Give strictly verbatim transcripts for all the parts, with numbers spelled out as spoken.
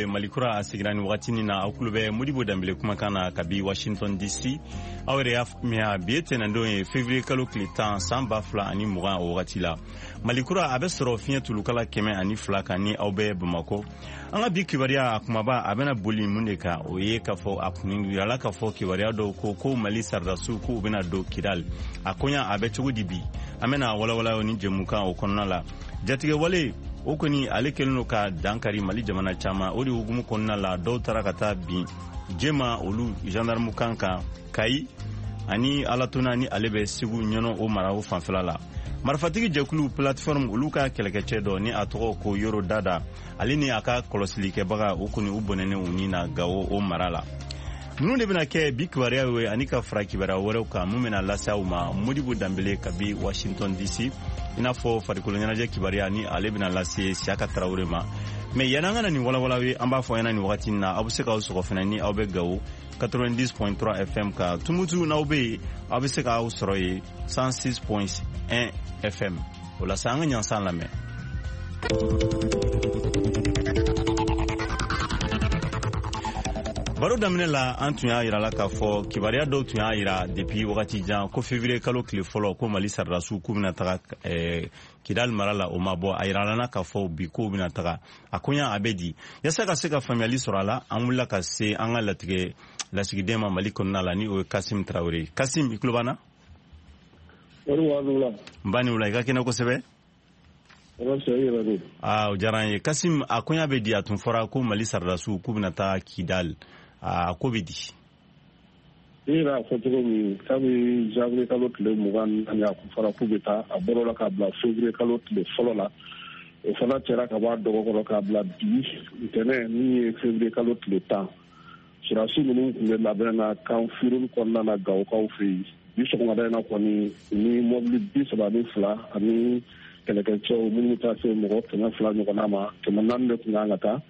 Malikura a sigira ni wagati na aw kulo bɛ Modibo Danbele kumakan na kabi Washington D C. Aw yɛrɛ y'a faamuya, bi ye tɛnɛndon ye, février kalo tile tan, san ba fila ani mugan. O wagati la, Malikura a bɛ sɔrɔ fiɲɛ tulukala kɛmɛ ani fila kan ni aw bɛ Bamakɔ. An ka bi kibaruya a kumaba, a bɛna boli mun de kan? O ye k'a fɔ a kun yirala k'a fɔ kibaruya dɔw ko ko Mali saridasiw k'u bɛna don Kidal. A koɲa a bɛ cogo di bi? An bɛna walawala ni jɛmukan o kɔnɔna la. Jatigɛwale o kɔni, ale kɛlen don ka dankari Mali jamana caman. O de hukumu kɔnɔna la, dɔw taara ka taa bin jema olu gendarme kan kan Kayi ani Alatona, ni ale bɛ Segu ɲɔnɔ o mara o fanfɛla la. Marifatigi jɛkulu Plateforme, olu ka kɛlɛkɛcɛ dɔ ni a tɔgɔ ko Yoro Dada, ale ni a ka kɔlɔsilikɛbaga, o kɔni u bɔnɛnen u ni na Gawo o mara la. Ninnu de bɛna kɛ bi kibaruya ye, ani ka fara kibaruya wɛrɛw kan mun bɛna lase aw ma Modibo Danbele kabi Washington D C, i n'a fɔ farikolo ɲɛnajɛ kibaruya ni ale bɛna lase Siyaka Tarawele ma. Mais yanni an ka na nin walawala ye, an b'a fɔ ɲɛna nin wagati na, aw bɛ se k'aw sɔgɔ fɛnɛ ni aw bɛ Gawo quatre-vingt-dix point trois F M kan. Tumutu, n'aw bɛ yen, aw bɛ se k'aw sɔrɔ yen cent six point un F M. O la sa, an ka ɲansan lamɛn. Baro daminɛ la, an tun y'a yira la k'a fɔ kibaruya dɔw tun y'a yira depuis wagati jan ko février kalo tile fɔlɔ, ko Mali saridasiw k'u bɛna taga eh, Kidal mara la. O ma bɔ, a yirala na k'a fɔ bi k'u bɛna taga. A koɲa a bɛ di? Yasa ka se ka faamuyali sɔrɔ a la, an wulila ka se an ka latigɛ lasigiden ma Mali kɔnɔna la, ni o ye Kasim Tarawele. Kasim, i tulo b'an na? N ba ni wula, i ka kɛnɛ kosɛbɛ. Aa, o diyara an ye. Kasim, a koɲa bɛ di? A tun fɔra ko Mali saridasiw k'u bɛna taa Kidal, a ko bɛ di? I yɛrɛ y'a fɔ cogo min, kabi janvier kalo tile mugan naani a kun fɔra k'u bɛ taa, a bɔr'o la k'a bila février kalo tile fɔlɔ la. O fana cɛra ka bɔ a dɔgɔkɔrɔ k'a bila bi ntɛnɛn min ye février kalo tile tan. Sɔrɔdasi ninnu tun bɛ labɛn na camp Firhoun kɔnɔna na Gawokaw fɛ yen. Bi sɔgɔmada in na kɔni, ni mɔbili bi saba ni fila ani kɛlɛkɛcɛw minnu bɛ taa se mɔgɔ kɛmɛ fila ɲɔgɔnna ma, kɛmɛ naani de tun kan ka taa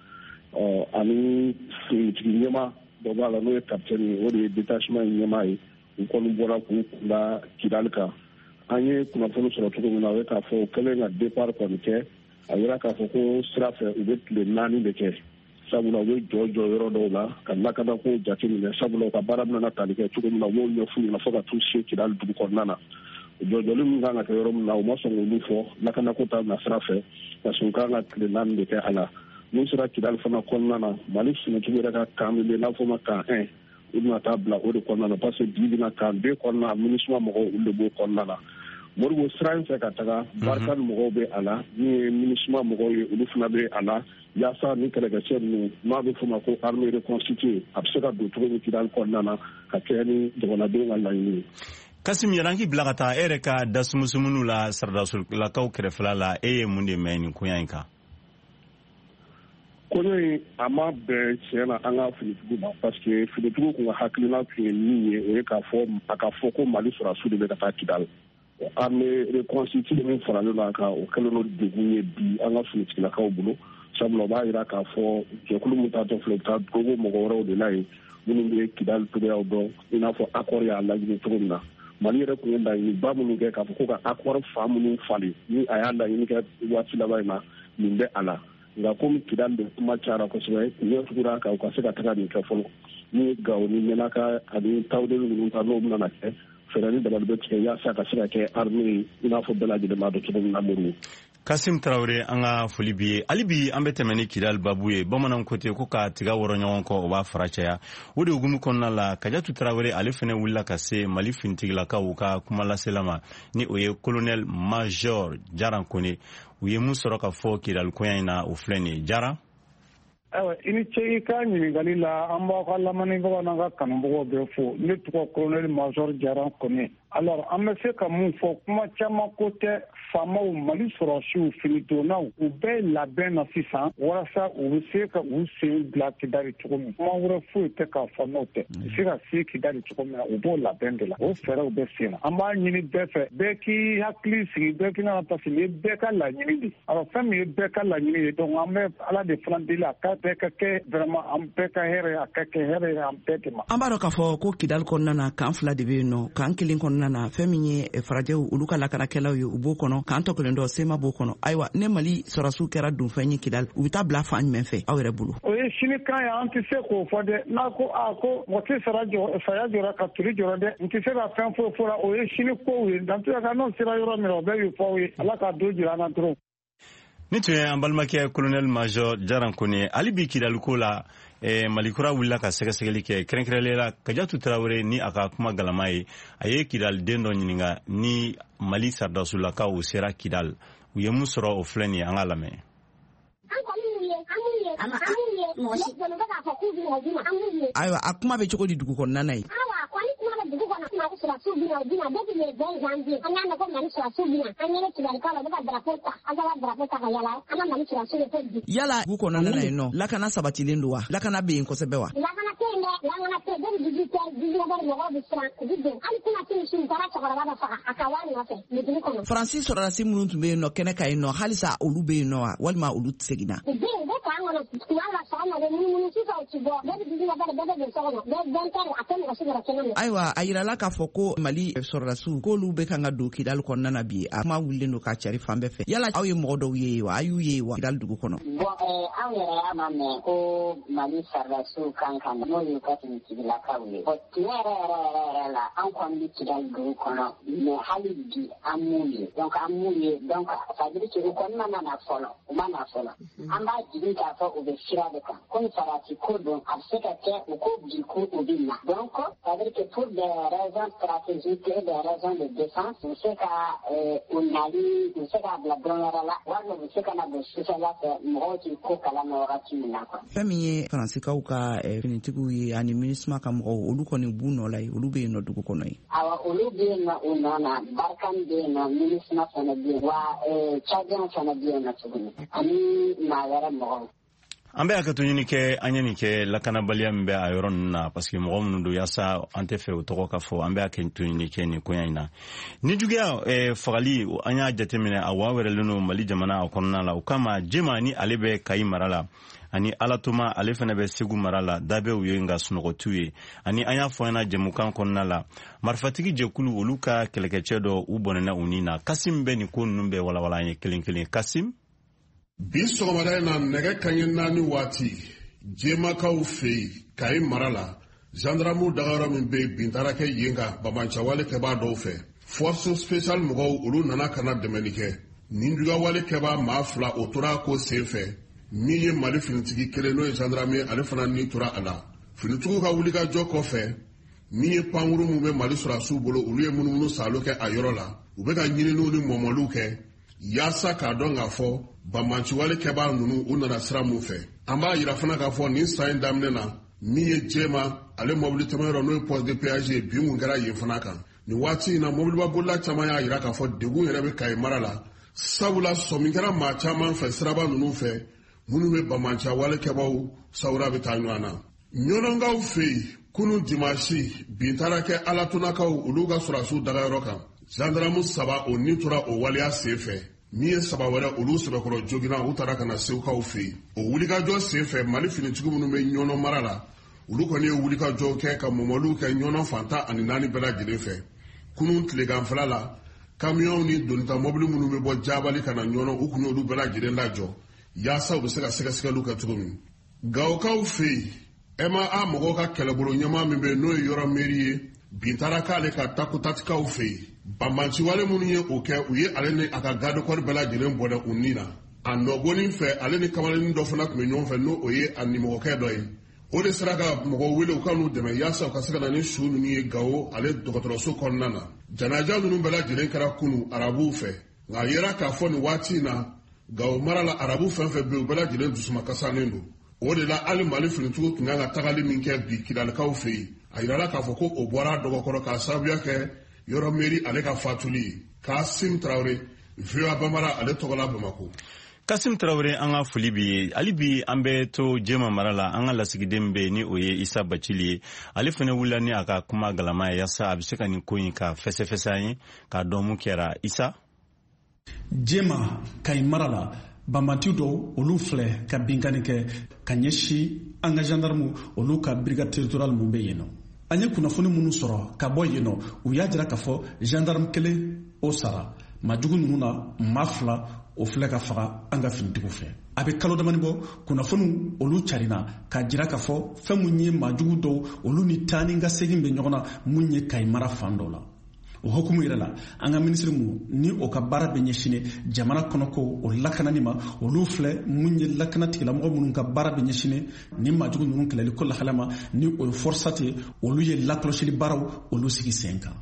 ɔ, ani finitigi ɲɛma dɔ b'a la, n'o ye capitaine ye, o de ye détachement in ɲɛmaa ye. U kɔni bɔra k'u kunda Kidali kan. An ye kunnafoni sɔrɔ cogo min na, o ye k'a fɔ u kɛlen ka départ kɔni kɛ, a yira k'a fɔ ko sira fɛ u bɛ tile naani de kɛ, sabula u bɛ jɔ jɔ yɔrɔ dɔw la ka lakanako jateminɛ, sabula u ka baara bɛna tali kɛ cogo min na, u b'o ɲɛf'u ɲɛna fo ka t'u se Kidali dugu kɔnɔna na. Jɔjɔli min kan ka kɛ yɔrɔ min na, u ma sɔn k'olu fɔ lakanako ta na sira fɛ, parce que u kan ka tile naani de kɛ a la. N'u sera Kidali fana kɔnɔna na, Mali finitigiw yɛrɛ ka camp min bɛ yen n'a fɔ ma camp un, u bɛna taa bila o de kɔnɔna na, parce que bi bi na camp deux kɔnɔna, MINUSMA mɔgɔw, olu de b'o kɔnɔna na. Moribo, sira in fɛ ka taga, Barkhane mɔgɔw bɛ a la, min ye MINUSMA mɔgɔw ye, olu fana bɛ a la, yaasa ni kɛlɛkɛcɛ ninnu n'a bɛ f'o ma ko armée reconstituée, a bɛ se ka don cogo min Kidali kɔnɔna na ka kɛɲɛ ni jamanadenw ka laɲini ye. Kasim, yɛrɛ k'i bila ka taa e yɛrɛ ka dasumusumunu la saradasolakaw kɛrɛfɛla la, e ye mun de mɛn nin koɲa in kan? Koɲɔ in a ma bɛn tiɲɛ na an ka finitigiw ma, parce que finitigiw kun ka hakilina tun ye min ye, o ye k'a fɔ a ka fɔ ko Mali sɔrɔdasiw de bɛ ka taa Kidali. Armée reconstituée min faralen don a kan, o kɛlen don degun ye bi an ka finitigilakaw bolo, sabula o b'a yira k'a fɔ jɛkulu min taatɔ filɛ, u bɛ taa dogo mɔgɔ wɛrɛw de la yen minnu bɛ Kidali cogoyaw dɔn, i n'a fɔ accord y'a laɲini cogo min na. Mali yɛrɛ tun ye laɲiniba minnu kɛ k'a fɔ ko ka accord fan minnu falen, ni a y'a laɲini kɛ waati laban in na, nin bɛ a la. Nka komi Kidali de kuma cayara kosɛbɛ, ɲɛ tugura kan u ka se ka taga nin kɛ fɔlɔ, ni ye Gawo ni Menaka ani Tawudeli ninnu ta, n'o bɛna kɛ fɛɛrɛ ni dabali bɛ tigɛ yaasa ka se ka kɛ armée ye, i n'a fɔ bɛɛ lajɛlen b'a dɔn cogo min na, Moribo. Kasim Tarawele, an ka foli bi ye. Hali bi an bɛ tɛmɛ ni Kidali babu ye. Bamananw ko ten ko ka tiga wɔrɔ ɲɔgɔn kɔ, o b'a fara caya. O de hukumu kɔnɔna la, Kajatu Tarawele, ale fɛnɛ wulila ka se Mali finitigilakaw ka kumalasela ma, ni o ye colonel major Jaran Kone. U ye mun sɔrɔ ka fɔ Kidali koɲa in na? O filɛ nin ye, Jara. Ayiwa, i ni ce i ka ɲininkali la. An b'aw ka lamɛnnibagaw n'an ka kanubagaw bɛɛ fo. Ne tɔgɔ colonel major Jaran Kone. Alors, an bɛ se ka mun fɔ? Kuma caman ko tɛ. Faamaw, Mali sɔrɔdasiw, finidonnaw, u bɛɛ labɛn na sisan walasa u bɛ se ka u sen bila Kidali cogo min. Kuma wɛrɛ foyi tɛ k'a fɔ n'o tɛ. U bɛ se ka se Kidali cogo min na, u b'o labɛn de la, o fɛɛrɛw bɛ sen na. An b'a ɲini bɛɛ fɛ, bɛɛ k'i hakili sigi, bɛɛ k'i nana, parce que nin ye bɛɛ ka laɲini de. Alors, fɛn min ye bɛɛ ka laɲini ye, donc an bɛ Ala de fana deli a ka bɛɛ ka kɛ vraiment an bɛɛ ka hɛrɛ, a ka kɛ hɛrɛ ye an bɛɛ de ma. An b'a dɔn k'a fɔ ko Kidali kɔnɔna na, camp fila de bɛ yen nɔ. Camp kelen kɔnɔna kɔnɔna na, fɛn min ye farajɛw olu ka lakanakɛlaw ye, u b'o kɔnɔ, k'an tɔ kelen dɔ sema b'o kɔnɔ. Ayiwa, ne Mali sɔrɔdasiw kɛra donfɛn ye Kidali, u bɛ taa bila fan jumɛn fɛ aw yɛrɛ bolo? O ye sini kan ye, an tɛ se k'o fɔ dɛ. N'a ko a ko mɔgɔ tɛ sara jɔ saya jɔra ka turi jɔra dɛ, n tɛ se ka fɛn foyi fɔ la, o ye sini kow ye. Dantuya kan n'o sera yɔrɔ min na, o bɛɛ y'o fɔ aw ye. Ala k'a don jira an na dɔrɔn. Ni tun ye an balimakɛ colonel major Jaran Kone. Hali bi Kidaliko la, eh, Malikura wulila ka sɛgɛsɛgɛli kɛ, kɛrɛnkɛrɛnlen la Kajatu Tarawele ni a ka kuma galama ye. A ye Kidali den dɔ ɲininka ni Mali sɔrɔdasulakaw sera Kidal, u ye mun sɔrɔ. O filɛ nin ye, an k'a lamɛn. Ayiwa, a kuma bɛ cogo di dugu kɔnɔna na yen? Yala dugu kɔnɔna na yen nɔ, lakana sabatilen don wa? Lakana bɛ yen kosɛbɛ wa? Faransi sɔrɔdasi minnu tun bɛ yen nɔ kɛnɛ kan yen nɔ, halisa olu bɛ yen nɔ wa, walima olu seginna? Ayiwa, a yirala k'a fɔ ko Mali sɔrɔdasiw k'olu bɛ kan ka don Kidali kɔnɔna na bi. A kuma wulilen don k'a cari fan bɛɛ fɛ. Yala aw ye mɔgɔ dɔw ye wa? A y'u ye wa Kidali dugu kɔnɔ? Bɔn, anw yɛrɛ y'a ma mɛn ko Mali sɔrɔdasiw kan ka na, n'o y'u ka finitigilakaw ye. Bɔn, tiɲɛ yɛrɛ yɛrɛ yɛrɛ yɛrɛ la, an kɔni bɛ Kidali dugu kɔnɔ, mɛ hali bi an m'u ye. Donc an m'u ye, donc ça veut dire que u kɔni ma na fɔlɔ, u ma na fɔlɔ. An b'a jigin k'a fɔ u bɛ sira de kan. Komi sarasi ko don, a bɛ se ka kɛ u ko bi ko u bɛ na. Donc ça veut dire que pour des raisons stratégiques et des raisons de défense, u bɛ se ka u nali, u bɛ se k'a bila don wɛrɛ la, walima u bɛ se ka na don sufɛla fɛ, mɔgɔw t'i ko kalama wagati min na quoi. Fɛn min ye Faransikaw ka finitigiw ye ani MINUSMA ka mɔgɔw, olu kɔni b'u nɔ la yen, olu bɛ yen nɔ dugu kɔnɔ yen? Awɔ, olu bɛ yen nɔ u nɔ na, Barkhane bɛ yen nɔ, MINUSMA fana bɛ yen, wa Tchadien fana bɛ yen nɔ tuguni, ani maa wɛrɛ mɔgɔw. An bɛ hakɛto ɲini kɛ, an ye nin kɛ lakanabaliya min bɛ a yɔrɔ ninnu na, parce que mɔgɔ minnu don, yaasa an tɛ fɛ o tɔgɔ ka fɔ, an bɛ hakɛto ɲini kɛ nin koɲa in na. Ni juguya eh, fagali, an y'a jateminɛ a wa wɛrɛlen don Mali jamana a kɔnɔna la. O kama Jema ni ale bɛ Kayi mara la, ani Alatoma ale fana bɛ Segu mara la, dabɛw ye nka sunɔgɔtiw ye. Ani an y'a fɔ an ɲɛna jɛmukan kɔnɔna la, marifatigi jɛkulu olu ka kɛlɛkɛcɛ dɔ u bɔnɛna u ni na. Kasim bɛ nin ko ninnu bɛɛ walawala an ye kelen kelen. Kasim. Bi sɔgɔmada in na, nɛgɛ kanɲɛ naani waati, Jemakaw fɛ yen Kayi mara la, gendarmew dagayɔrɔ min bɛ yen, bin taara kɛ yen kan banbaanciwale kɛbaa dɔw fɛ. Force spéciale mɔgɔw olu nana ka na dɛmɛli kɛ. Ninjuguyawale kɛbaa maa fila o tora a ko sen fɛ. Min ye Mali finitigi kelen, n'o ye gendarme ye, ale fana ni tora a la. Finitigiw ka wulikajɔ kɔfɛ, min ye pankuru min bɛ Mali sɔrɔdasiw bolo, olu ye munumunu salo kɛ a yɔrɔ la. U bɛ ka ɲininiw ni mɔmɔliw kɛ yaasa k'a dɔn k'a fɔ banbaanciwale kɛbaa ninnu u nana sira mun fɛ. An b'a yira fana k'a fɔ nin san in daminɛ na, min ye Jema ale mobili tɛmɛyɔrɔ, n'o ye poste de péage ye, bin kun kɛra yen fana kan. Nin waati in na, mobiliba bolila caman y'a yira k'a fɔ degun yɛrɛ bɛ Kayi mara la, sabula sɔmi kɛra maa caman fɛ siraba ninnu fɛ minnu bɛ banbaanciwale kɛbaaw sawura bɛ taa ɲɔgɔn na. Ɲɔnɔnkaw fɛ yen, kunun dimansi, bin taara kɛ Alatonakaw olu ka sɔrɔdasiw dagayɔrɔ kan. Gendarme saba o ni tora o waleya sen fɛ. Min ye saba wɛrɛ olu sɛbɛkɔrɔ joginna, u taara ka na Segukaw fɛ yen. O wulikajɔ sen fɛ, Mali finitigi minnu bɛ Ɲɔnɔ mara la, olu kɔni ye wulikajɔw kɛ ka mɔmɔliw kɛ Ɲɔnɔ fan tan ani naani bɛɛ lajɛlen fɛ. Kunun tileganfɛla la, kamiyɔnw ni donita mɔbili minnu bɛ bɔ Jabali ka na Ɲɔnɔ, u kun y'olu bɛɛ lajɛlen lajɔ yaasa u bɛ se ka sɛgɛsɛgɛliw kɛ cogo min. Gawokaw fɛ yen, M A A mɔgɔw ka kɛlɛbolo ɲɛmaa min bɛ yen, n'o ye yɔrɔ meri ye, bin taara k'ale ka takutatikaw fɛ yen. Banbaanciwale minnu ye o kɛ, u ye ale ni a ka garde-corps bɛɛ lajɛlen bɔnɛ u ni na. A nɔgɔnin fɛ, ale ni kamalennin dɔ fana tun bɛ ɲɔgɔn fɛ, n'o o ye a nimɔgɔkɛ dɔ ye. O de sera ka mɔgɔw wele u ka n'u dɛmɛ yaasa u ka se ka na ni su ninnu ye Gawo ale dɔgɔtɔrɔso kɔnɔna na. Janaja ninnu bɛɛ lajɛlen kɛra kunu arabuw fɛ, nka a yera k'a fɔ nin waati in na, Gawo mara la, arabu fɛn fɛn bɛ yen, u bɛɛ lajɛlen dusumakasalen don. O de la, hali Mali finitigiw tun kan ka tagali min kɛ bi Kidalikaw fɛ yen, a yirala k'a fɔ ko o bɔra a dɔgɔkɔrɔ k'a sababuya kɛ yɔrɔ meri ale ka fatuli ye. Kasim Tarawele, V O A Bambara ale tɔgɔ la Bamakɔ. Kasim Tarawele, an ka foli b'i ye. Hali bi an bɛ to Jema mara la, an ka lasigiden bɛ yen ni o ye Isa Bacili ye. Ale fana wulila ni a ka kuma galama ye yaasa a bɛ se ka nin ko in ka fɛsɛfɛsɛ an ye k'a dɔn mun kɛra. Isa. Jema, Kayi mara la, banbanti dɔw olu filɛ ka binkanni kɛ ka ɲɛsin an ka gendarme olu ka brigade territoriale mun bɛ yen nɔ. An ye kunnafoni minnu sɔrɔ ka bɔ yen nɔ, u y'a jira k'a fɔ gendarme kelen o sara majugu ninnu na, maa fila o filɛ ka faga an ka finitigiw fɛ. A bɛ kalo damani bɔ, kunnafoniw olu carina k'a jira k'a fɔ fɛn mun ye maajugu dɔw olu ni taa ni ka segin bɛ ɲɔgɔn na mun ye Kayi mara fan dɔ la. O hukumu yɛrɛ la, an ka minisiri mun ni o ka baara bɛ ɲɛsin jamana kɔnɔko o lakanani ma, olu filɛ mun ye lakana tigilamɔgɔ minnu ka baara bɛ ɲɛsin ni maajugu ninnu kɛlɛli ko lahala ma, ni o ye FORSAT ye, olu ye lakɔlɔsili baaraw olu sigi sen kan.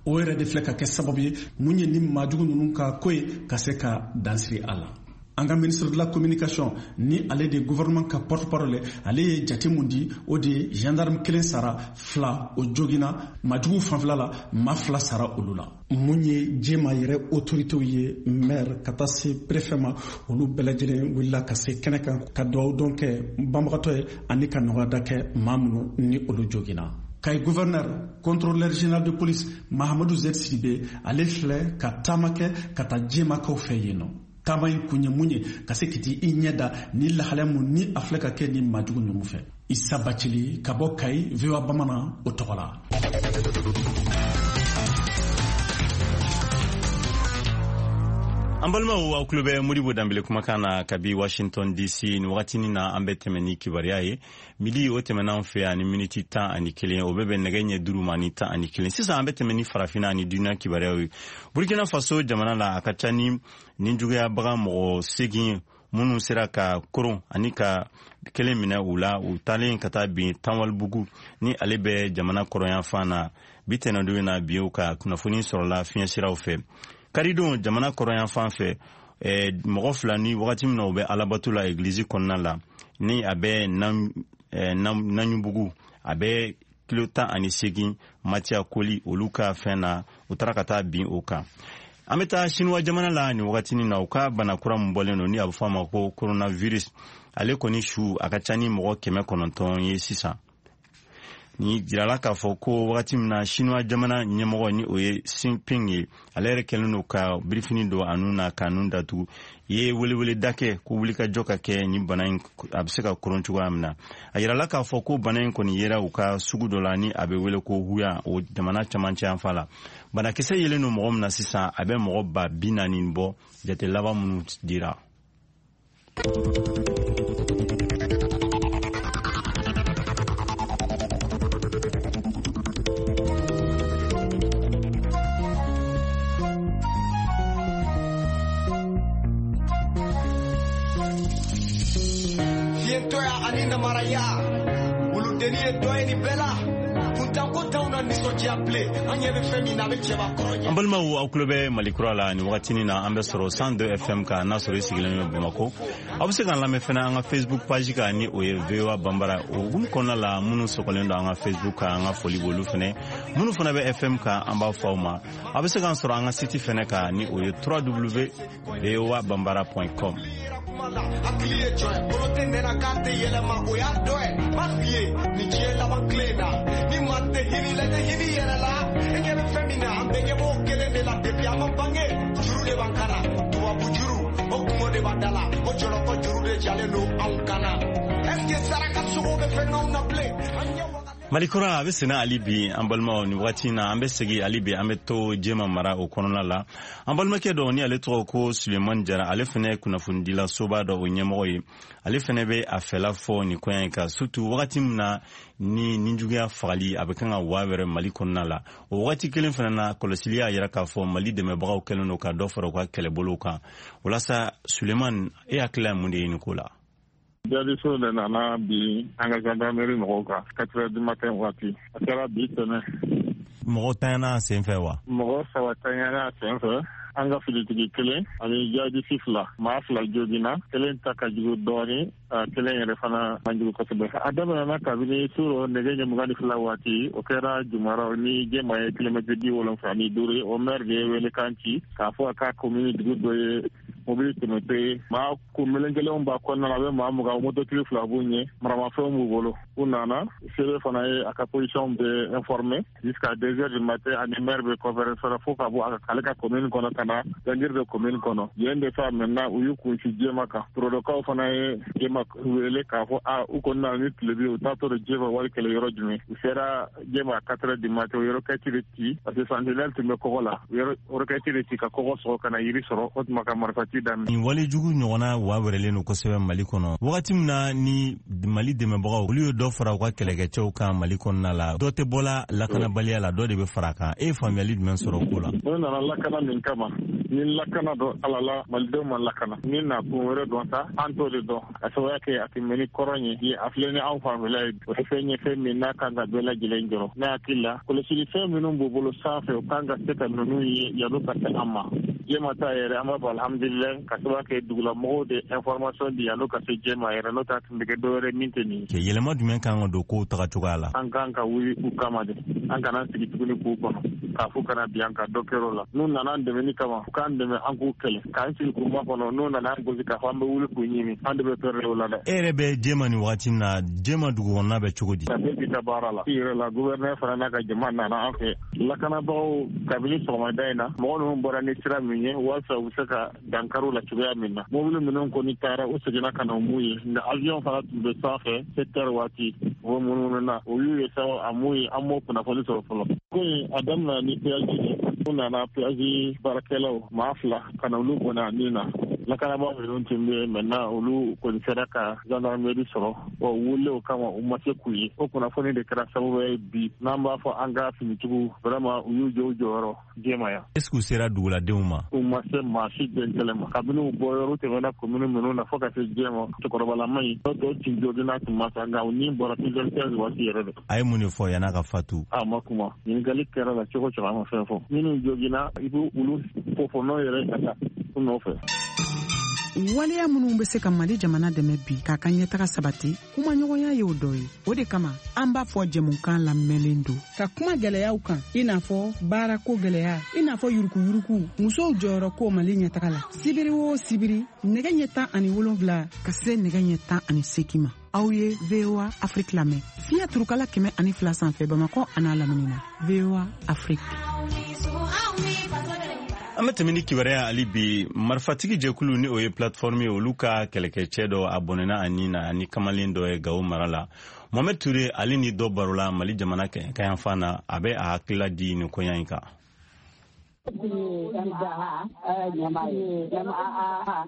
O yɛrɛ de filɛ ka kɛ sababu ye mun ye ni maajugu ninnu ka ko ye ka se ka dansiri a la. An ka ministre de la communication ni ale de gouvernement ka porte-parole, ale ye jate mun di, o de ye gendarme kelen sara, fila o jogina majugu fanfɛla la, maa fila sara olu la. Mun ye Jema yɛrɛ autoritéw ye, maire ka taa se préfet ma, olu bɛɛ lajɛlen wulila ka se kɛnɛ kan ka dugawu dɔn kɛ banbagatɔ ye ani ka nɔgɔya kɛ maa minnu ni olu jogina. Kayi gouverneur, contrôleur général de police Mahamadou Zed Sidibe, ale filɛ ka taama kɛ ka taa Jemakaw fɛ yen nɔ. Taama in kun ye mun ye? Ka se k'i i ɲɛ da ni lahalaya mun ni a filɛ ka kɛ ni maajugu ninnu fɛ. Isa Bacili ka bɔ Kayi, V O A Bamanan o tɔgɔ la. An balimaw, aw tulo bɛ Modibo Danbele kumakan na kabi Washington D C. Nin wagatinin na, an bɛ tɛmɛ ni kibaruya ye. Midi o tɛmɛna an fɛ yan ni miniti tan ani kelen, o bɛ bɛn nɛgɛ ɲɛ duuru ma ni tan ani kelen. Sisan an bɛ tɛmɛ ni farafinna ani duniya kibaruyaw ye. Burkina Faso jamana la, a ka ca ni ninjuguyabaga mɔgɔ seegin minnu sera ka koron ani ka kelen minɛ u la, u taalen ka taa bin Tanwalibugu ni ale bɛ jamana kɔrɔnyanfan na. Bi tɛnɛndon in na, bi o ka kunnafoni sɔrɔla fiɲɛsiraw fɛ. Karidon jamana kɔrɔnyanfan fɛ, mɔgɔ fila ni wagati min na u bɛ alabato la egilizi kɔnɔna la, ni a bɛ Naɲubugu, a bɛ kilo tan ani seegin Matiya Koli olu ka fɛn na, u taara ka taa bin o kan. An bɛ taa Sinuwa jamana la nin wagatinin na, u ka bana kura min bɔlen don ni a bɛ fɔ a ma ko coronavirus, ale kɔni su a ka ca ni mɔgɔ kɛmɛ kɔnɔntɔn ye sisan. Ni jirala k'a fɔ ko wagati min na Sinuwa jamana ɲɛmɔgɔ ni o ye Xi Jinping ye, ale yɛrɛ kɛlen don ka birifini don a nun na k'a nun datugu, ye weleweleda kɛ ko wulikajɔ ka kɛ ni bana in a bɛ se ka koron cogoya min na. A yirala k'a fɔ ko bana in kɔni yera u ka sugu dɔ la ni a bɛ wele ko Wuhan, o jamana camancɛ yanfan la. Banakisɛ yelen don mɔgɔ min na sisan, a bɛ mɔgɔ ba bi naani bɔ, jate laban minnu dira. An balimaw, aw tulo bɛ Mali kura la nin wagatinin na. An bɛ sɔrɔ cent deux F M kan, n'a sɔrɔ i sigilen bɛ Bamakɔ. Aw bɛ se k'an lamɛn fana an ka Facebook page kan ni o ye V O A Bambara. O hukumu kɔnɔna la, minnu sɔgɔlen don an ka Facebook kan, an ka foli b'olu fana. Minnu fana bɛ F M kan, an b'a fɔ aw ma. Aw bɛ se k'an sɔrɔ an ka site fana kan ni o ye w w w point v o a bambara point com. Hakili ye jɔn ye bolo tɛ nɛnɛ k'a tɛ yɛlɛma o y'a dɔ ye b'a f'i ye ni diɲɛ laban tile na ni maa tɛ hinɛ la i tɛ hinɛ i yɛrɛ la e ɲɛ bɛ fɛn min na an bɛɛ ɲɛ b'o kelen de la depuis an ma bange juru de b'an kan na tubabu juru o kungo de b'an da la o jɔlɔkɔ juru de jalen don anw kan na est ce que saraka sogo bɛ fɛn k'anw na bilen an ɲɛ waga. Mali kura a bɛ senna hali bi, an balimaw, nin wagati in na an bɛ segin hali bi, an bɛ to Jema mara o kɔnɔna la. An balimakɛ dɔ ni ale tɔgɔ ko Sulemani Jara, ale fana ye kunnafonidila soba dɔ o ɲɛmɔgɔ ye. Ale fana bɛ a fɛla fɔ nin koɲɛ in kan, surtout wagati min na ni ninjuguya fagali a bɛ kan ka wa wɛrɛ Mali kɔnɔna la. O wagati kelen fana na, kɔlɔsili y'a yira k'a fɔ Mali dɛmɛbagaw kɛlen don ka dɔ fara u ka kɛlɛbolow kan. Walasa Sulemani, e hakilila ye mun de ye nin ko la? Jadiso de nana bi an ka gendarmerie mɔgɔw kan quatre heures du matin waati. A kɛra bi tɛnɛ. Mɔgɔ tanyana a sen fɛ wa? Mɔgɔ saba tanyana a sen fɛ. An ka filitigi kelen ani jadisi fila, maa fila joginna, kelen ta ka jugu dɔɔni, kelen yɛrɛ fana man jugu kosɛbɛ. A daminɛna kabini suro nɛgɛ ɲɛ mugan ni fila waati, o kɛra Jumaraw ni Jema ye kilomɛtiri bi wolonfila ni duuru ye. O maire de ye welekan ci k'a fɔ a ka commune dugu dɔ ye Mobili tɛmɛtɔ ye maa kun melenkelenw b'a kɔnɔna na, a bɛ maa mugan, mototigi fila b'u ɲɛ, maramafɛnw b'u bolo. U nana C B fana ye a ka position bɛɛ informé jusqu'à deux heures du matin, ani maire bɛ conférence la fo ka bɔ ale ka commune kɔnɔ ka na gangiri de commune kɔnɔ yen de sa. Maintenant u y'u kunsi Jema kan. Torodokaw fana ye Jema wele k'a fɔ a u kɔni nana ni tilebi, u taatɔ de Jema wari kɛlɛ yɔrɔ jumɛn. U sera Jema à quatre heures du matin, u ye roquette de ci parce que sentinelle tun bɛ kɔgɔ la. U ye roquette de ci ka kɔgɔ sɔgɔ ka na yiri sɔrɔ, o tuma ka marifaci daminɛ. Nin walejugu ɲɔgɔnna wa wɛrɛlen don kosɛbɛ Mali kɔnɔ wagati min na ni Mali dɛmɛbagaw olu ye dɔ fara u ka kɛlɛkɛcɛw kan Mali kɔnɔna la. Dɔ tɛ bɔla lakanabaliya la, dɔ de bɛ fara a kan. E ye faamuyali jumɛn sɔrɔ o ko la? N'o nana lakana min kama, ni lakana dɔ ala la, malidenw ma lakana ni na kun wɛrɛ dɔn sa, an t'o de dɔn. A sababuya kɛ a tun bɛ ni kɔrɔn ye ye, a filɛ ni anw fanfɛla ye, o ye fɛn ye, fɛn min n'a kan ka bɛɛ lajɛlen jɔrɔ. Ne hakili la, kɔlɔsili fɛn minnu b'u bolo sanfɛ, u kan ka se ka ninnu ye yan'u ka se an ma. Jema ta yɛrɛ, an b'a fɔ alhamdulilayi, ka sababu kɛ dugulamɔgɔw de information di yan'u ka se Jema yɛrɛ, n'o tɛ a tun bɛ kɛ dɔwɛrɛ min tɛ nin ye. Yɛlɛma jumɛn kan ka don kow taga cogoya la? An kan ka wuli u kama de, an kana sigi tuguni k'u kɔnɔ k'a fɔ kana bi an ka dɔ kɛr'o la. N'u nana an dɛmɛni kama, u k'an dɛmɛ, an k'u kɛlɛ k'an sigi k'u makɔnɔ. N'u nana an gosi k'a fɔ an bɛ wuli k'u ɲini, an de bɛ pɛrɛ o la dɛ. E yɛrɛ bɛ Jema nin wagati min na, Jema dugu kɔnɔna bɛ cogo di? Ka bɛɛ ta baara la i yɛrɛ la, gouverneur fana n'a ka jama nana an fɛ, lakanabagaw. Kabini sɔgɔmada in na, mɔgɔ ninnu bɔra ni sira min ye walasa u bɛ se ka dankariw la cogoya min na, mobili minnu kɔni taara, u seginna ka na mun ye. Nka avion fana tun bɛ sanfɛ sept heures waati, u bɛ munumunu na, o y'u ye sa, a mun ye, an m'o kunnafoni sɔrɔ fɔlɔ. Ko in a daminɛ ni péage de, u nana péage baarakɛlaw maa fila ka na olu bɔnna a min na. Lakanabaa minnu tun bɛ yen maintenant, olu kɔni sera ka gendarmerie sɔrɔ, ɔ wulilen o kama, u ma se k'u ye. O kunnafoni de kɛra sababu ye bi n'an b'a fɔ an ka finitigiw vraiment u y'u jɔ u jɔyɔrɔ Jema yan. Est ce que u sera duguladenw ma? U ma se maa si den kɛlɛ ma. Kabini u bɔ yɔrɔ tɛmɛna commune minnu na fo ka se Jema, cɛkɔrɔbalama in dɔw tun joginna, tun ma sa, nka u ni bɔra six heures quinze waati yɛrɛ de. A ye mun de fɔ yan'a ka fatu? A ma kuma. Ɲininkali kɛra la cogo cogo, a ma fɛn fɔ. Minnu joginna, i b'u olu fɔ n'o yɛrɛ ka taa u nɔfɛ. Waleya minnu bɛ se ka Mali jamana dɛmɛ bi k'a ka ɲɛtaga sabati, kumaɲɔgɔnya y'o dɔ ye. O de kama an b'a fɔ jɛmukan lamɛnlen don ka kuma gɛlɛyaw kan, i n'a fɔ baarako gɛlɛya, i n'a fɔ yurukuyuruku, musow jɔyɔrɔ ko Mali ɲɛtaga la. Sibiri o sibiri, nɛgɛ ɲɛ tan ani wolonfila ka se nɛgɛ ɲɛ tan ani seegin ma, aw ye V O A Afrique lamɛn fiɲɛ turukala kɛmɛ ani fila sanfɛ, Bamakɔ an'a lamini na. V O A Afrique. An bɛ tɛmɛ ni kibaruya hali bi. Marifatigi jɛkulu ni o ye Plateforme ye, olu ka kɛlɛkɛcɛ dɔ a bɔnɛna a ni na ani kamalen dɔ ye Gawo mara la. Mohamed Ture, ale ni dɔ barola Mali jamana kayanfan na, a bɛ a hakilila di nin koɲa in kan. M A A ɲɛmaa ye M A A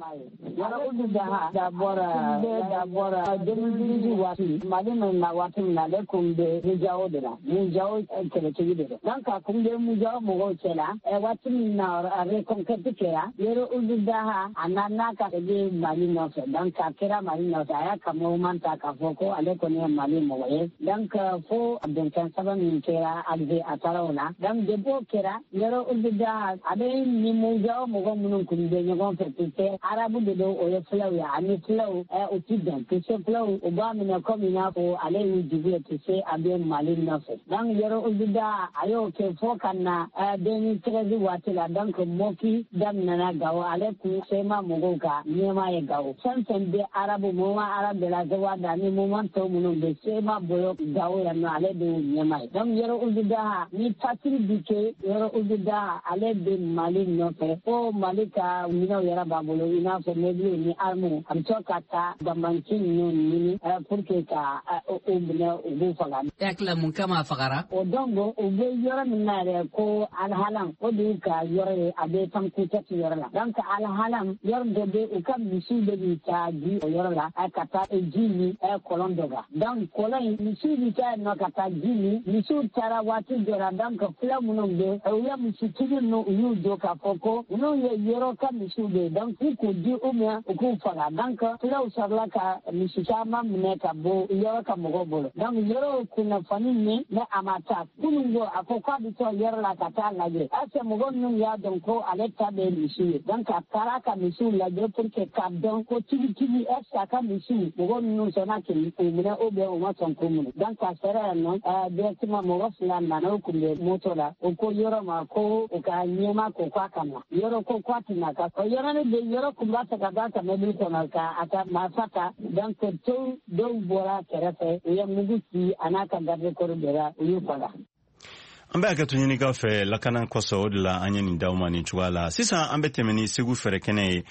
Yɔrɔ Ould Daha dabɔra dabɔra deux mille dix-huit waati, Mali min na waati min na, ale kun bɛ Mujao de la, Mujao kɛlɛtigi de don. Donc a kun bɛ Mujao mɔgɔw cɛ la. Waati min na reconquête kɛra, Yɔrɔ Ould Daha a nana ka bɛ Mali nɔfɛ. Donc a kɛra Mali nɔfɛ, a y'a ka mouvement ta k'a fɔ ko ale kɔni ye Mali mɔgɔ ye. Donc fo bɛnkan saba min kɛra Alger, a taara o la. Donc depuis o kɛra, Yɔrɔ Ould Daha a bɛ ni Mujao mɔgɔ minnu kun bɛ ɲɔgɔn fɛ, tu arabu de don, o ye fulaw ye, ani fulaw u ti bɛn. Tu sais, fulaw u b'a minɛ komi i n'a fɔ ale y'u jugu ye, tu sais, a bɛ Mali nɔfɛ. Donc Yɔrɔ Ould Daha a y'o kɛ fo ka na deux mille treize waati la. Donc Moki daminɛna Gawo, ale kun C M A mɔgɔw ka ɲɛmaa ye Gawo. Fɛn fɛn bɛ arabu mouvement arabe de la Zawada ani mouvement tɔw minnu bɛ C M A bolo Gawo yan nɔ, ale de y'u ɲɛmaa ye. Donc Yɔrɔ Ould Daha ni patrouille bi kɛ, Yɔrɔ Ould Daha ale bɛ Mali nɔfɛ fo Mali ka minɛnw yɛrɛ b'a bolo, i n'a fɔ mobiliw ni armes. A bɛ to ka taa banbanci ninnu ɲini pour que ka u minɛ, u b'u faga. E hakili la mun kama a fagara? O donc u bɛ yɔrɔ min na yɛrɛ ko Alhalam, o de y'u ka yɔrɔ ye, a bɛ Tamkutɛti yɔrɔ la. Donc Alhalam yɔrɔ dɔ bɛ, u ka misiw de bɛ taa ji o yɔrɔ la, ka taa ji min kɔlɔn dɔ kan. Donc kɔlɔn in, misiw bɛ taa yen nɔ ka taa ji min. Misiw taara waati dɔ la, donc fula minnu bɛ, u ye misitigi ninnu, u y'u don k'a fɔ ko ninnu ye yɔrɔ ka misiw de ye, donc k'u k'u di u ma, u k'u faga. Donc fulaw sɔrɔla ka misi caman minɛ ka bɔ yɔrɔ ka mɔgɔw bolo. Donc yɔrɔ kunnafoni min ne a ma taa kunun ko a ko k'a bɛ taa yɔrɔ la ka taa lajɛ, est ce que mɔgɔ ninnu y'a dɔn ko ale ta bɛ misi ye. Donc a taara ka misiw lajɛ pour que k'a dɔn ko tigitigi est ce que a ka misiw, mɔgɔ ninnu sɔnna k'u minɛ ou bien u ma sɔn k'u minɛ. Donc a sera yan nɔ directement, mɔgɔ fila nana, u kun bɛ moto la, u ko yɔrɔ ma ko u ka a ɲɛma ko k'a ka na yɔrɔ ko k'a tɛ na ka o yɔrɔnin de yɔrɔ kun b'a fɛ ka b'a ka mobili kɔnɔ ka a ka marifa ta donc to dɔw bɔra kɛrɛfɛ u ye mugu ci a n'a ka garde corps de la u y'u faga. An bɛ hakɛto ɲinikaw fɛ lakana kosɔn, o de la an ye nin d'aw ma nin cogoya la. Sisan an bɛ tɛmɛ ni Segu fɛrɛkɛnɛ ye,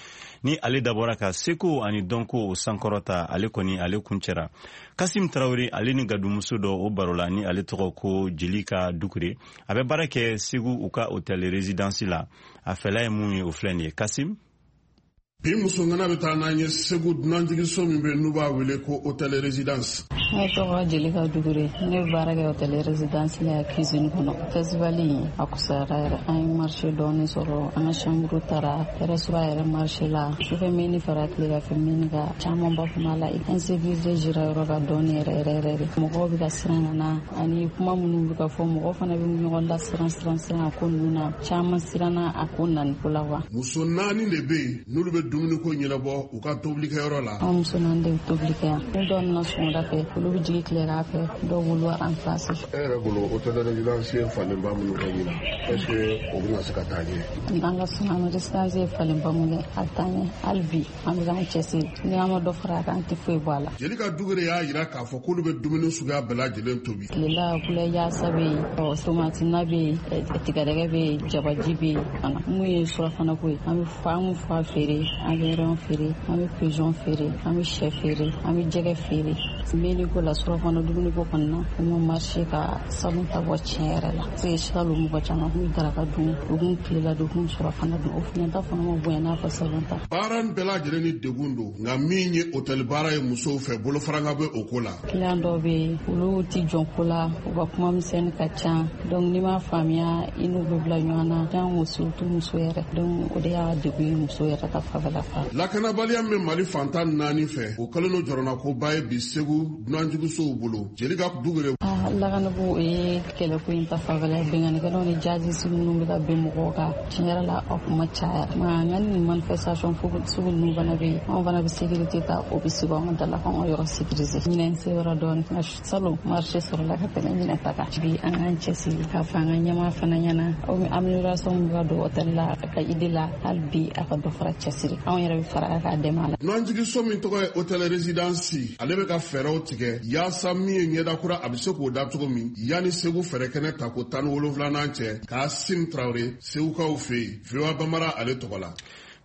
ni ale dabɔra ka seko ani dɔnko o sankɔrɔta. Ale kɔni ale kuncɛra. Kasim Tarawele ale ni gadumuso dɔ o baro la, ni ale tɔgɔ ko Jelika Dukure, a bɛ baara kɛ Segu u ka hôtel résidence la. A fɛla ye mun ye, o filɛ nin ye. Kasim. Bi musoŋana bɛ taa n'an ye Segu dunanjiginso min bɛ n'u b'a wele ko hôtel résidence. Ne tɔgɔ Jelika Dugure, ne bɛ baara kɛ hôtel résidence la cuisine kɔnɔ. Festival in a kusayara yɛrɛ, an ye marché dɔɔni sɔrɔ, an ka chambre taara restaurant yɛrɛ marché la, sufɛ meni fara tileganfɛ meni kan camanba kun b'a la. Insécurité jira yɔrɔ ka dɔɔni yɛrɛ yɛrɛ yɛrɛ de, mɔgɔw bɛ ka siran ka na ani kuma minnu bɛ ka fɔ, mɔgɔw fana bɛ ɲɔgɔn lasiran siran siran a ko ninnu na, caman siranna a ko nani ko la wa. Muso naani de bɛ yen n'olu bɛ dumuniko ɲɛnabɔ u ka tobilikɛyɔrɔ la. An muso naani de bɛ tobili kɛ yan, ni dɔw nana sɔgɔmada fɛ olu bɛ jigin tilegan fɛ, dɔw b'olu remplacer. E yɛrɛ bolo hôtel résidence ye falenba minnu kɛ ɲinan, est ce que o bɛna se ka taa ɲɛ? An ka sun résidence ye falenba mun kɛ, a bɛ taa ɲɛ hali bi, an bɛ k'an cɛsiri, ni an ma dɔ fara a kan an tɛ foyi bɔ a la. Jelika Dugure y'a jira k'a fɔ k'olu bɛ dumuni suguya bɛɛ lajɛlen tobi. Tilela kulɛ yaasa bɛ yen, tomati na bɛ yen, tigadɛgɛ bɛ yen, jabaji bɛ yen fana. Mun ye surafana ko ye, an bɛ fa an bɛ fa feere, an bɛ rɛn feere, an bɛ pigeon feere, an bɛ sɛ feere, an bɛ jɛgɛ feere. Meni ko la surafana dumuni ko kɔni na, o ma marché ka salon ta bɔ tiɲɛ yɛrɛ la. Parce que salon mɔgɔ caman kun bɛ daraka dun, u kun tilela dun, u kun surafana dun, o fana ta fana ma bonya n'a fɔ salon ta. Baara in bɛɛ lajɛlen ni degun don, nka min ye hôtel baara ye musow fɛ, bolofaranga bɛ o ko la. Client dɔw bɛ yen, olu ti jɔn ko la, u ka kuma misɛnnin ka ca, donc n'i m'a faamuya i n'u bɛ bila ɲɔgɔn na, jango surtout muso yɛrɛ, donc o de y'a degun ye muso yɛrɛ ta fanfɛla fa. Lakanabaliya min bɛ Mali fantan naani fɛ, o kɛlen don jɔrɔnakoba ye bi Segu dunanjiginsow bolo. Jelika Dugure. Lakanako o ye kɛlɛko in ta fanfɛla ye, binkannikɛlaw ni jihadiste minnu bɛ ka bin mɔgɔw kan, tiɲɛ yɛrɛ la a kuma cayara. Nka nka ni manifestation sugu ninnu fana bɛ yen, anw fana bɛ sécurité ta, o bɛ sigi anw ka da la k'anw ka yɔrɔ sécuriser. Ɲinɛ se yɔrɔ dɔɔni, nka salon marché sɔrɔla ka tɛmɛ ɲinɛ ta kan. Bi an k'an cɛsiri k'a fɔ an ka ɲɛmaa fana ɲɛna, amélioration min bɛ ka don hôtel la a ka idée la, hali bi a ka dɔ fara cɛsiri, anw yɛrɛ bɛ fara a k'a dɛmɛ a la. Dunanjiginso min tɔgɔ ye hôtel résidence, ale bɛ ka fɛɛrɛw tigɛ yaasa min ye ɲɛda kura a bɛ se k'o da cogo min yanni Segu fɛɛrɛkɛnɛ ta ko tan ni wolonfilanan cɛ. Kasim Tarawele, Segukaw fɛ yen, V O A Bambara ale tɔgɔ la.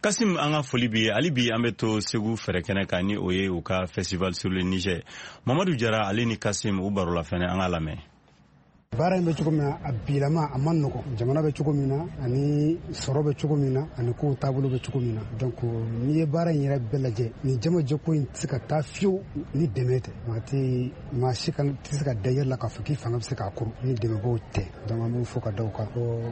Kasim, an ka foli bi ye. Hali bi an bɛ to Segu fɛrɛkɛnɛ kan, ni o ye u ka festival sur le Niger. Mamadu Jara ale ni Kasim u baro la fɛnɛ, an ka lamɛn. Baara in bɛ cogo min na, a bilama a man nɔgɔn, jamana bɛ cogo min na, ani sɔrɔ bɛ cogo min na, ani kow taabolo bɛ cogo min na. Donc n'i ye baara in yɛrɛ bɛɛ lajɛ, nin jamajɛko in tɛ se ka taa fiyewu ni dɛmɛ tɛ. Maa tɛ maa si kan tɛ se ka da yɛrɛ la k'a fɔ k'i fanga bɛ se k'a kuru ni dɛmɛbaaw tɛ. Donc an b'u fo ka da u kan.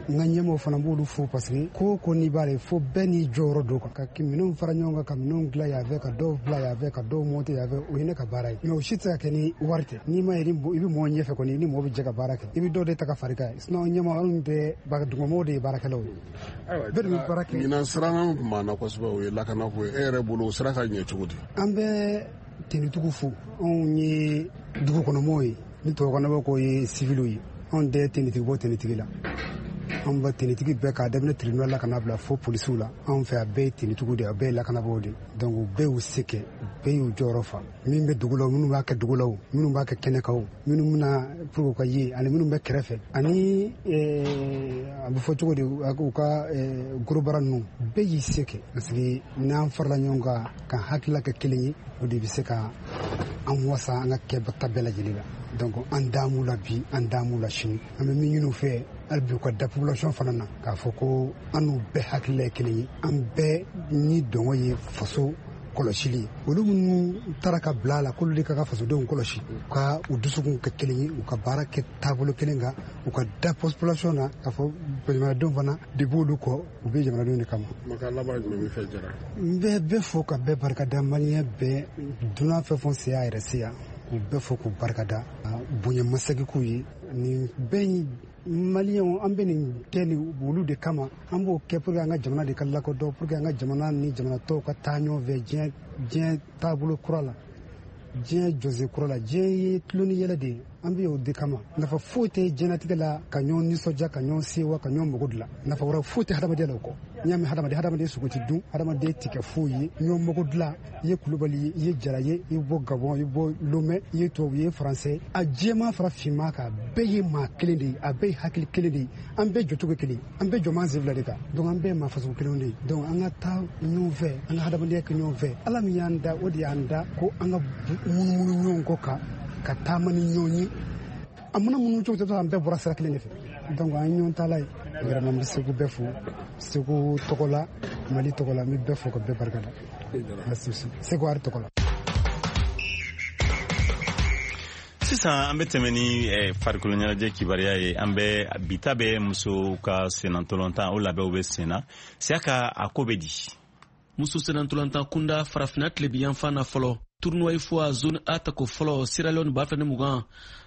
N ka ɲɛmɔgɔw fana b'olu fo, parce que ko o ko n'i b'a la, fo bɛɛ n'i jɔyɔrɔ don kan. Ka minɛnw fara ɲɔgɔn kan, ka minɛnw dilan yan fɛ, ka dɔw bila yan fɛ, ka dɔw monter yan fɛ, o ye ne ka baara ye. Mais o si tɛ se ka kɛ ni wari tɛ. N'i ma ye i bɛ mɔgɔ ɲɛfɛ kɔni, i ni mɔgɔ bɛ jɛ ka baara kɛ. I bɛ dɔw de ta ka fari kan, sinon ɲɛmaa anw tɛ dugumɔgɔw de ye baarakɛlaw ye. Ayiwa, bɛɛ de bɛ baara kɛ. Ɲinan siran min tun b'an na kosɛbɛ, o ye lakanako ye. E yɛrɛ bolo o sira ka ɲɛ cogo di? An bɛ tenitigiw fo, anw ye dugu kɔnɔmɔgɔw ye, ni tubabukan ko ye civiliw ye, anw tɛ tenitigi bɔ tenitigi la. Anw bɛ tenitigi bɛɛ k'a daminɛ tribunal la ka n'a bila fo polisiw la, anw fɛ a bɛɛ ye tenitigiw de ye, a bɛɛ ye lakanabaaw de ye. Donc u bɛɛ y'u se kɛ, u bɛɛ y'u jɔyɔrɔ fa. Min bɛ dugu la, minnu b'a kɛ dugu la, minnu b'a kɛ kɛnɛ kan, minnu bɛna pour ka ye, ani minnu bɛ kɛrɛfɛ, ani a bɛ fɔ cogo di, u ka gros bras ninnu, bɛɛ y'i se kɛ. Parce que n'an farala ɲɔgɔn kan ka hakilila kɛ kelen ye, o de bɛ se ka an wasa an ka kɛta bɛɛ lajɛlen la. Donc an damu la bi, an damu la sini, an bɛ min ɲini u fɛ hali bi u ka da population fana na, k'a fɔ ko an n'u bɛɛ hakilila ye kelen ye, an bɛɛ ni dɔngɔ ye faso kɔlɔsili ye. Olu minnu taara ka bila a la k'olu de ka ka fasodenw kɔlɔsi, u ka u dusukun kɛ kelen ye, u ka baara kɛ taabolo kelen kan, u ka da population na k'a fɔ jamanadenw fana de b'olu kɔ, u bɛ jamanadenw de kama. Kumakan laban jumɛn b'i fɛ Jara? N bɛ bɛɛ fo ka bɛɛ barikada, maliyɛn bɛɛ, dunan fɛn fɛn se y'a yɛrɛ se yan, k'u bɛɛ fo k'u barikada, bonya masegin k'u ye. Nin bɛɛ maliyɛnw, an bɛ nin kɛ nin olu de kama, an b'o kɛ pour que an ka jamana de ka lakodɔn, pour que an ka jamana ni jamana tɔw ka taa ɲɔgɔn fɛ diɲɛ diɲɛ taabolo kura la. Diɲɛ jɔsen kura la, diɲɛ ye tulon ni yɛlɛ de ye. An bɛ o de kama. Nafa foyi tɛ diɲɛlatigɛ la ka ɲɔgɔn nisɔndiya, ka ɲɔgɔn sewa, ka ɲɔgɔn mago dilan. Nafa wɛrɛ foyi tɛ hadamadenya la o kɔ. N'i y'a mɛn hadamaden, hadamaden sogo ti dun, hadamaden ti kɛ foyi ye. Ɲɔgɔn mago dilan, i ye Kulubali ye, i ye Jara ye, i bɔ Gabɔn, i bɔ Lomɛ, i ye tubabu ye, i ye Faransɛ. A jɛman fara finman kan, a bɛɛ ye maa kelen de ye, a bɛɛ ye hakili kelen de ye. An bɛɛ jɔcogo kelen, an bɛɛ jɔman sen fila de kan. Donc an bɛɛ ye maa fasugu kelenw de ye. Donc an ka taa ɲɔgɔn fɛ, an ka hadamadenya kɛ ɲɔgɔn fɛ. Ala min y'an da, o de y'an da ko an ka munumunu ɲɔgɔn kɔ kan, ka taama ni ɲɔgɔn ye. A mana munumunu cogo cogo, an bɛɛ bɔra sira kelen de fɛ. Donc an ye ɲɔgɔn taala ye. Vraiment n bɛ Segu bɛɛ fo, Segu tɔgɔ la, Mali tɔgɔ la, n bɛ bɛɛ fo ka bɛɛ barika da. Segu Ari tɔgɔ la. Sisan an bɛ tɛmɛ ni farikolo ɲɛnajɛ kibaruya ye. An bɛ bi ta bɛ musow ka sennantolatan, o labɛnw bɛ sen na. Siyaka, a ko bɛ di? Muso sennantolatan kunda farafinna tilebinyanfan na fɔlɔ, tournoi UFOA zone A tako fɔlɔ Sierra Leone ba fila ni mugan,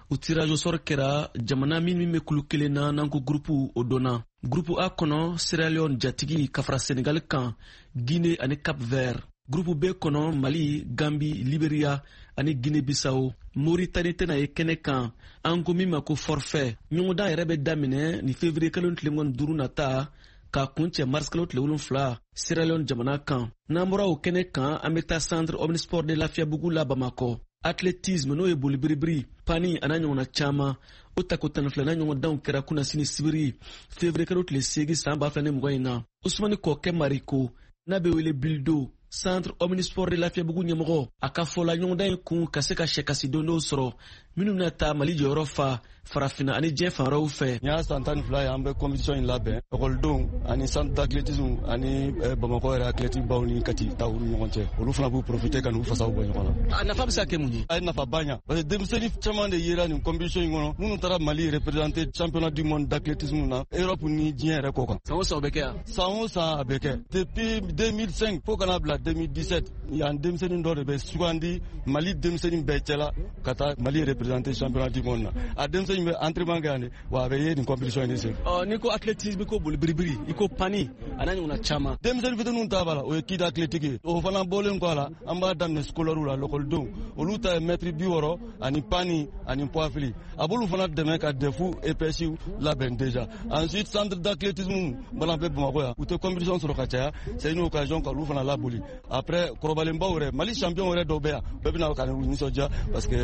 o tirage au sort kɛra. Jamana min min bɛ kulu kelen na n'an ko groupe, o dɔnna. Groupe A kɔnɔ, Sierra Leone jatigi ka fara Senegal kan, Guinée ani Cap Vert. Groupe B kɔnɔ, Mali, Gambi, Liberia ani Guinée Bissau. Mauritanie tɛna ye kɛnɛ kan, an ko min ma ko forfait. Ɲɔgɔndan yɛrɛ bɛ daminɛ ni février kalo tile mugan ni duuru nata k'a kuncɛ mars kalo tile wolonfila Sierra Leone jamana kan. N'an bɔra o kɛnɛ kan, an bɛ taa centre omnisport de Lafiyabugu la Bamakɔ. Athlétisme, n'o ye boli biribiri, pani a n'a ɲɔgɔnna caman, o tako tan ni filanan ɲɔgɔndanw kɛra kunnasini sibiri février kalo tile seegin san ba fila ni mugan in na. Usumani Kɔkɛ Mariko, n'a bɛ wele Bildo, centre omnisport de Lafiyabugu ɲɛmɔgɔ, a ka fɔ la, ɲɔgɔndan in kun ka se ka sɛkasi don dɔw sɔrɔ minnu bɛna taa Mali jɔyɔrɔ fa farafinna ani diɲɛ fan wɛrɛw fɛ. Nin y'a san tan ni fila ye an bɛ compétition in labɛn, ekɔlidenw ani centre d'athlétisme ani Bamakɔ yɛrɛ athlétique baw ni Kati taw ni ɲɔgɔn cɛ. Olu fana b'u profiter ka n'u fasaw bɔ ɲɔgɔn na. A nafa bɛ se ka kɛ mun ye? A ye nafaba ɲa, parce que denmisɛnnin caman de yera nin compétition in kɔnɔ, minnu taara Mali représenter championnat du monde d'athlétisme na Europe ni diɲɛ yɛrɛ kɔ kan. San o san o bɛ kɛ yan? San o san a bɛ kɛ, depuis deux mille cinq fo ka n'a bila deux mille dix-sept. Yan denmisɛnnin dɔ de bɛ sugandi Mali denmisɛnnin bɛɛ cɛla ka taa Mali représenter championnat du monde na. A denmisɛnnin bɛ entraînement kɛ yan de, wa a bɛ ye nin compétition in de sen. Ɔ, n'i ko athlétisme, i ko boli biribiri, i ko pani a n'a ɲɔgɔnna caman. Denmisɛnnin fitininw ta b'a la, o ye kid athlétique ye. O fana bɔlen kɔ a la, an b'a daminɛ scolaire la, lakɔlidenw, olu ta ye mètre bi wɔɔrɔ ani pani ani poids fili. A b'olu fana dɛmɛ ka D E F E P S labɛn déjà. Ensuite, centre d'athlétisme fana bɛ Bamakɔ yan, u tɛ compétition sɔrɔ ka caya, c'est une occasion ka olu fana laboli. Après, kɔrɔbalenbaw yɛrɛ, Mali champion yɛrɛ dɔw bɛ yan, bɛɛ bɛna ka n'u nisɔndiya parce que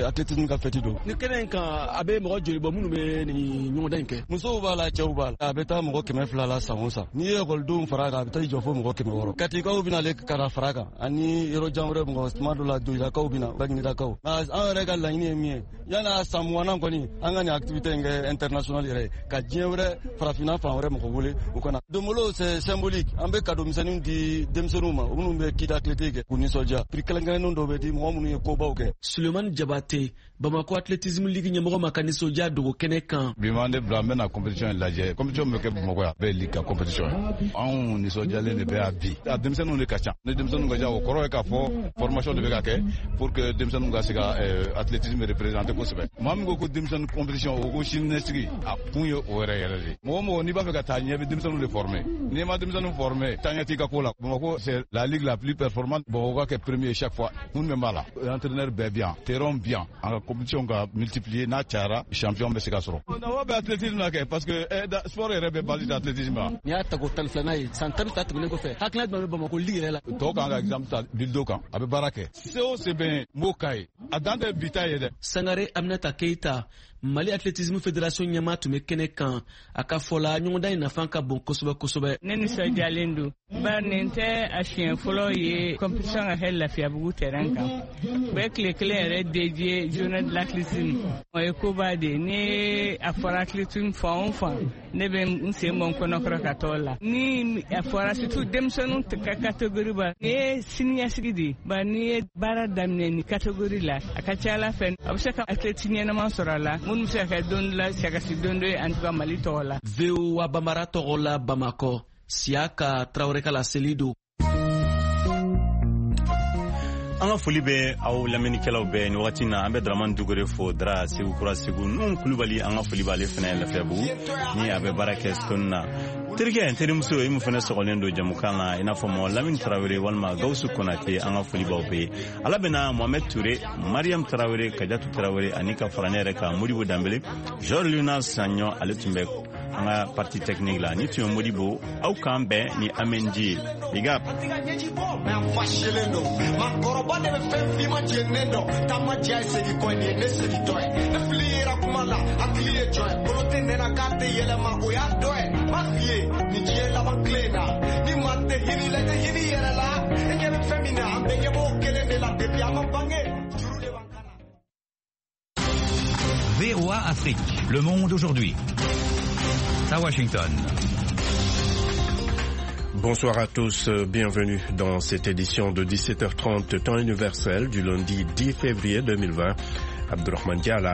athlétisme ka fête don. Ni kɛnɛ in kan, a bɛ mɔgɔ joli bɔ minnu bɛ nin ɲɔgɔndan in kɛ? Musow b'a la, cɛw b'a la. A bɛ taa mɔgɔ kɛmɛ fila la san o san. N'i ye ekɔlidenw fara a kan, a bɛ taa i jɔ fo mɔgɔ kɛmɛ wɔɔrɔ. Katikaw bɛ nale ka na fara a kan, ani yɔrɔ jan wɛrɛ mɔgɔ, tuma dɔ la Joyilakaw bɛ na, Baginedakaw. Nka an yɛrɛ ka laɲini ye min ye, yan'a san mugannan kɔni, an ka nin activité in kɛ international yɛrɛ ye, ka diɲɛ wɛrɛ, farafinna fan wɛrɛ mɔgɔ wele u ka na. Donbolo, c'est symbolique. An bɛ cadeau misɛnninw di denmisɛnninw ma, minnu bɛ kid athlétique kɛ k'u nisɔndiya. Prix kɛrɛnkɛrɛnnen dɔw bɛ di mɔgɔ minnu ye kobaw kɛ. Sulemani Jabate, Bamakɔ athlétisme ligue ɲɛmɔgɔ ma ka nisɔndiya dogo kɛnɛ kan. Bi m'an de bila, an bɛna compétition in lajɛ. Compétition bɛ kɛ Bamakɔ yan, bɛɛ ye ligue ka compétition ye. Anw nisɔndiyalen de bɛ yan bi. A denmisɛnninw de ka ca. Ni denmisɛnninw ka ca, o kɔrɔ ye k'a fɔ formation de bɛ ka kɛ pour que denmisɛnninw ka se ka athlétisme représenter kosɛbɛ. Maa min ko ko denmisɛnnin compétition, o ko siniɲɛsigi, a kun ye o yɛrɛ yɛrɛ de ye. Mɔgɔ mɔgɔ n'i b'a fɛ ka taa ɲɛ, bɛ denmisɛnninw de former. N'i ma denmisɛnninw former, taa ɲɛ t'i ka ko la. Bamakɔ, c'est la ligue la plus performante. Bamakɔ ka kɛ premier chaque fois. Kun min b'a la, entraîneur bɛɛ bi yan, terrain bi yan, an ka compétition ka multiplier, n'a cayara, champion bɛ se ka sɔrɔ. Nafa bɛ athlétisme na kɛ, parce que sport yɛrɛ bɛ base d'athlétisme la. N'i y'a tako tan ni filanan ye san tan ni fila tɛmɛnen kɔfɛ, hakilina jumɛn bɛ Bamakɔ ligue yɛrɛ la? Tɔw kan ka exemple ta Bildo kan, a bɛ baara kɛ. Se o se bɛ yen, n b'o k'a ye. A dan tɛ bi ta ye dɛ. Sangare Aminata Keita, Mali athlétisme fédération ɲɛmaa, tun bɛ kɛnɛ kan. A ka fɔ la, ɲɔgɔndan in nafa ka bon kosɛbɛ kosɛbɛ. Ne nisɔndiyalen don, bari nin tɛ a siɲɛ fɔlɔ ye compétition ka kɛ Lafiyabugu terrain kan. U bɛ tile kelen yɛrɛ dédié journée de l'athlétisme. O ye koba de ye. Ni a fɔra athlétisme fan o fan, ne bɛ n sen bɔ n kɔnɔkɔrɔ ka t'o la. Ni a fɔra surtout denmisɛnninw ka catégorie ba, nin ye siniɲɛsigi de ye, bari n'i ye baara daminɛ nin catégorie la, a ka ca Ala fɛ, a bɛ se ka athlète ɲɛnama sɔrɔ a la minnu bɛ se ka kɛ don dɔ la sɛgɛsi don dɔ ye, en tout cas Mali tɔgɔ la. V O A Bambara tɔgɔ la Bamakɔ, Siyaka Tarawele ka laseli don. An ka foli bɛ aw lamɛnnikɛlaw bɛɛ ni wagati na. An bɛ Dramani Dugure fo, Dra Segu Kura Segu Nun Kulubali, an ka foli b'ale fana Lafiyabugu ni a bɛ baara kɛ Stone na. Terikɛ n terimuso i mun fana sɔgɔlen don jamukan na, i n'a fɔ mɔgɔ Lamini Tarawele walima Gawusu Konate, an ka foli b'aw bɛɛ. Ala bɛna Mohamed Ture, Mariam Tarawele, Kajatu Tarawele ani ka fara ne yɛrɛ kan Modibo Danbele, Georges Luna Saɲɔ, ale tun bɛ an ka partie technique la. Ni tun ye Modibo, aw k'an bɛn ni Amenji ye. Big up. Makɔrɔba de bɛ fɛn finman jeninen dɔn, taama diya ye segin kɔ nin ye ne segintɔ ye. Ne fili yera kuma la, hakili ye jɔn ye, kolo tɛ nɛnɛ k'a tɛ yɛlɛma, o y'a dɔ ye. M'a f'i ye nin diɲɛ laban tile in na, ni maa tɛ hinɛ la, i tɛ hinɛ i yɛrɛ la. E ɲɛ bɛ fɛn min na, an bɛɛ ɲɛ b'o kelen de la depuis an ma bange, juru de b'an kan na. V O A Afrique, le monde aujourd'hui. À Washington. Bonsoir à tous, bienvenue dans cette édition de dix-sept heures trente temps universel du lundi dix février deux mille vingt. Abdourahmane Diala.